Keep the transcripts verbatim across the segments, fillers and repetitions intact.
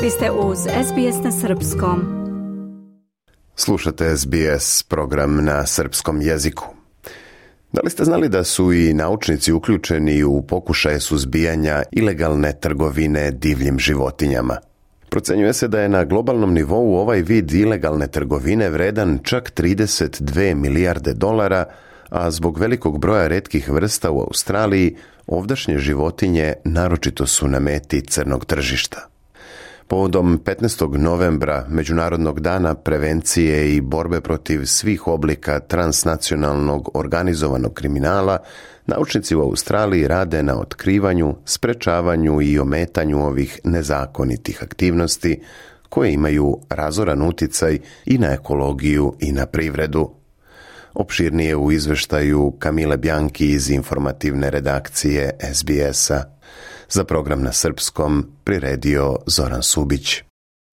Vi ste uz S B S na srpskom. Slušate S B S, program na srpskom jeziku. Da li ste znali da su i naučnici uključeni u pokušaje suzbijanja ilegalne trgovine divljim životinjama? Procenjuje se da je na globalnom nivou ovaj vid ilegalne trgovine vredan čak trideset dve milijarde dolara, a zbog velikog broja retkih vrsta u Australiji, ovdašnje životinje naročito su na meti crnog tržišta. Povodom petnaestog novembra, Međunarodnog dana prevencije i borbe protiv svih oblika transnacionalnog organizovanog kriminala, naučnici u Australiji rade na otkrivanju, sprečavanju i ometanju ovih nezakonitih aktivnosti koje imaju razoran uticaj i na ekologiju i na privredu. Opširnije u izveštaju Kamile Bjanki iz informativne redakcije S B S-a. Za program na srpskom priredio Zoran Subić.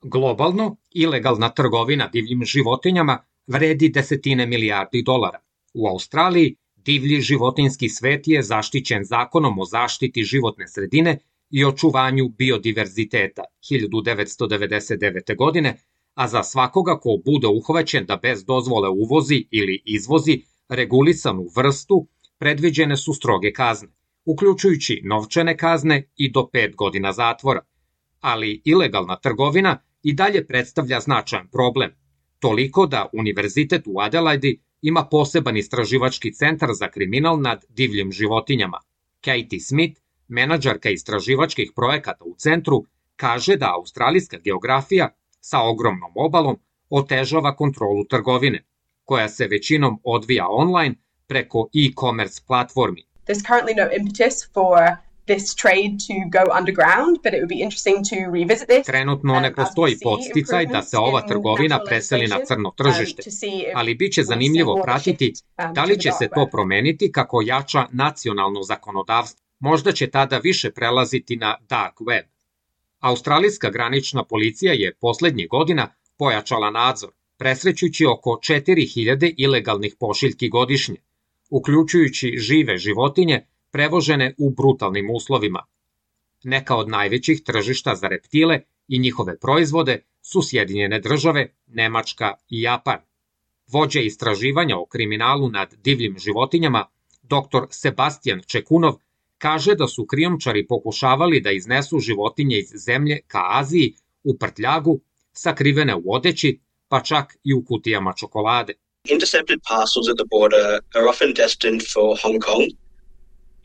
Globalno, ilegalna trgovina divljim životinjama vredi desetine milijardi dolara. U Australiji divlji životinjski svet je zaštićen zakonom o zaštiti životne sredine i očuvanju biodiverziteta hiljadu devetsto devedeset devete. godine, a za svakoga ko bude uhvaćen da bez dozvole uvozi ili izvozi regulisanu vrstu, predviđene su stroge kazne, uključujući novčane kazne i do pet godina zatvora. Ali ilegalna trgovina i dalje predstavlja značajan problem, toliko da Univerzitet u Adelaidi ima poseban istraživački centar za kriminal nad divljim životinjama. Katie Smith, menadžerka istraživačkih projekata u centru, kaže da australijska geografija sa ogromnom obalom otežava kontrolu trgovine, koja se većinom odvija online preko e-commerce platformi. There's currently no impetus for this trade to go underground, but it would be interesting to revisit this. Trenutno ne postoji podsticaj da se ova trgovina preseli na crno tržište, ali bit će zanimljivo pratiti da li će se to promeniti kako jača nacionalno zakonodavstvo. Možda će tada više prelaziti na dark web. Australijska granična policija je poslednjih godina pojačala nadzor, presrećujući oko četiri hiljade ilegalnih pošiljki godišnje, uključujući žive životinje prevožene u brutalnim uslovima. Neka od najvećih tržišta za reptile i njihove proizvode su Sjedinjene države, Nemačka i Japan. Vođa istraživanja o kriminalu nad divljim životinjama, dr Sebastian Čekunov, kaže da su krijumčari pokušavali da iznesu životinje iz zemlje ka Aziji u prtljagu, sakrivene u odeći, pa čak i u kutijama čokolade. Intercepted parcels at the border are often destined for Hong Kong.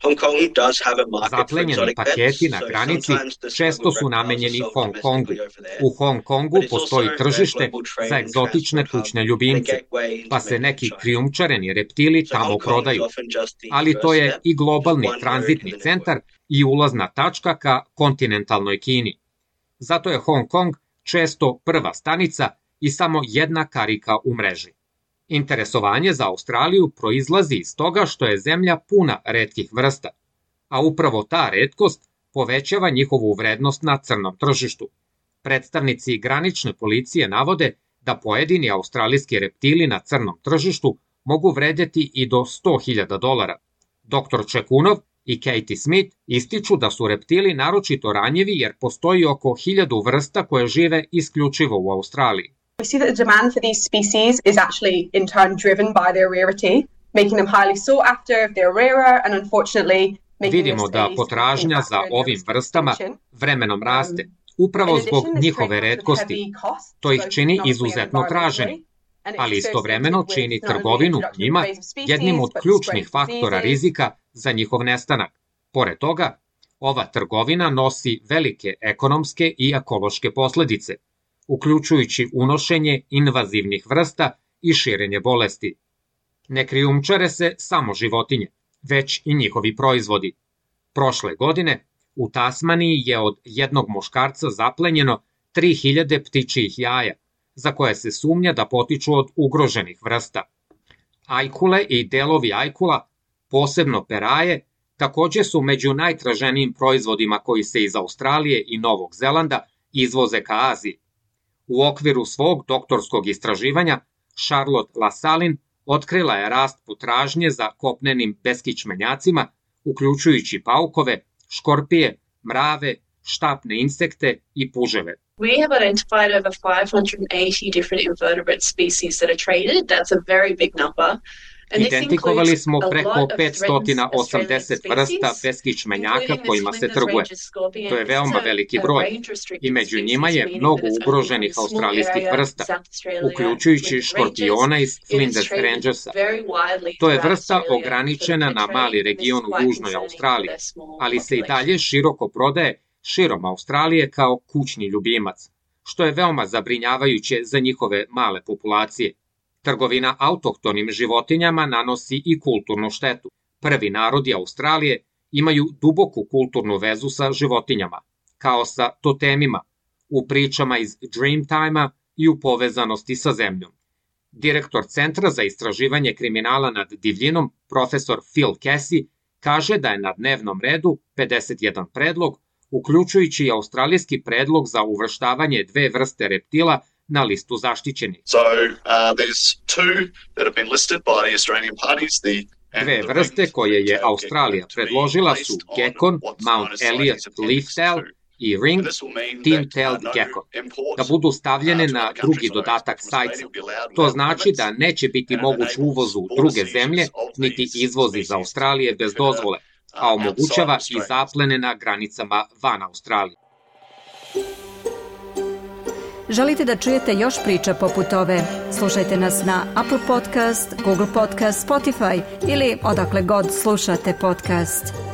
Hong Kong does have a market for Zaplenjeni exotic paketi pets, na so granici sometimes the često smuggled su reptiles namenjeni are sold Hong Kongu. domestically over there. U Hong Kongu But it's postoji also a tržište global trade za and egzotične transport hub kućne and a ljubimce, gateway pa into se mainland neki China. krijumčareni reptili So tamo Hong Kong is prodaju. often just the Ali to first je step, i globalni just one tranzitni area in the network. centar i ulazna tačka ka kontinentalnoj Kini. Zato je Hong Kong često prva stanica i samo jedna karika u mreži. Interesovanje za Australiju proizlazi iz toga što je zemlja puna retkih vrsta, a upravo ta retkost povećava njihovu vrednost na crnom tržištu. Predstavnici granične policije navode da pojedini australijski reptili na crnom tržištu mogu vredeti i do sto hiljada dolara. doktor Čekunov i Katie Smith ističu da su reptili naročito ranjivi jer postoji oko hiljadu vrsta koje žive isključivo u Australiji. We see that the demand for these species is actually in turn driven by their rarity, making them highly sought after if they're rarer and unfortunately making Vidimo this da a potražnja za ovim vrstama vremenom raste, upravo zbog njihove retkosti. To ih čini izuzetno traženim, ali istovremeno čini trgovinu njima jednim od ključnih faktora rizika za njihov nestanak. Pored toga, ova trgovina nosi velike ekonomske i ekološke posledice, uključujući unošenje invazivnih vrsta i širenje bolesti. Ne krijumčare se samo životinje, već i njihovi proizvodi. Prošle godine u Tasmaniji je od jednog muškarca zaplenjeno tri hiljade ptičjih jaja, za koje se sumnja da potiču od ugroženih vrsta. Ajkule i delovi ajkula, posebno peraje, takođe su među najtraženijim proizvodima koji se iz Australije i Novog Zelanda izvoze ka Aziji. U okviru svog doktorskog istraživanja, Charlotte Lassalle otkrila je rast potražnje za kopnenim beskičmenjacima, uključujući paukove, škorpije, mrave, štapne insekte i puževe. We have identified over five hundred eighty different invertebrate species that are traded. That's a very big number. Identifikovali smo preko petsto osamdeset vrsta beskičmenjaka kojima se trguje. To je veoma veliki broj i među njima je mnogo ugroženih australijskih vrsta, uključujući škorpiona iz Flinders Rangersa. To je vrsta ograničena na mali region u južnoj Australiji, ali se i dalje široko prodaje širom Australije kao kućni ljubimac, što je veoma zabrinjavajuće za njihove male populacije. Trgovina autohtonim životinjama nanosi i kulturnu štetu. Prvi narodi Australije imaju duboku kulturnu vezu sa životinjama, kao sa totemima, u pričama iz Dreamtime-a i u povezanosti sa zemljom. Direktor Centra za istraživanje kriminala nad divljinom, profesor Phil Casey, kaže da je na dnevnom redu pedeset jedan predlog, uključujući i australijski predlog za uvrštavanje dve vrste reptila na listu zaštićenih. So, uh, there's two that have been listed by the Australian parties. The Dve vrste koje je Australija predložila su gekon, Mount Elliot leaf-tail i ring, tin-tailed gecko, da budu stavljene na drugi dodatak sajca. To znači da neće biti moguć uvoz u druge zemlje, niti izvoz iz Australije bez dozvole, a omogućava i zaplene na granicama van Australije. Želite da čujete još priča poput ove? Slušajte nas na Apple Podcast, Google Podcast, Spotify ili odakle god slušate podcast.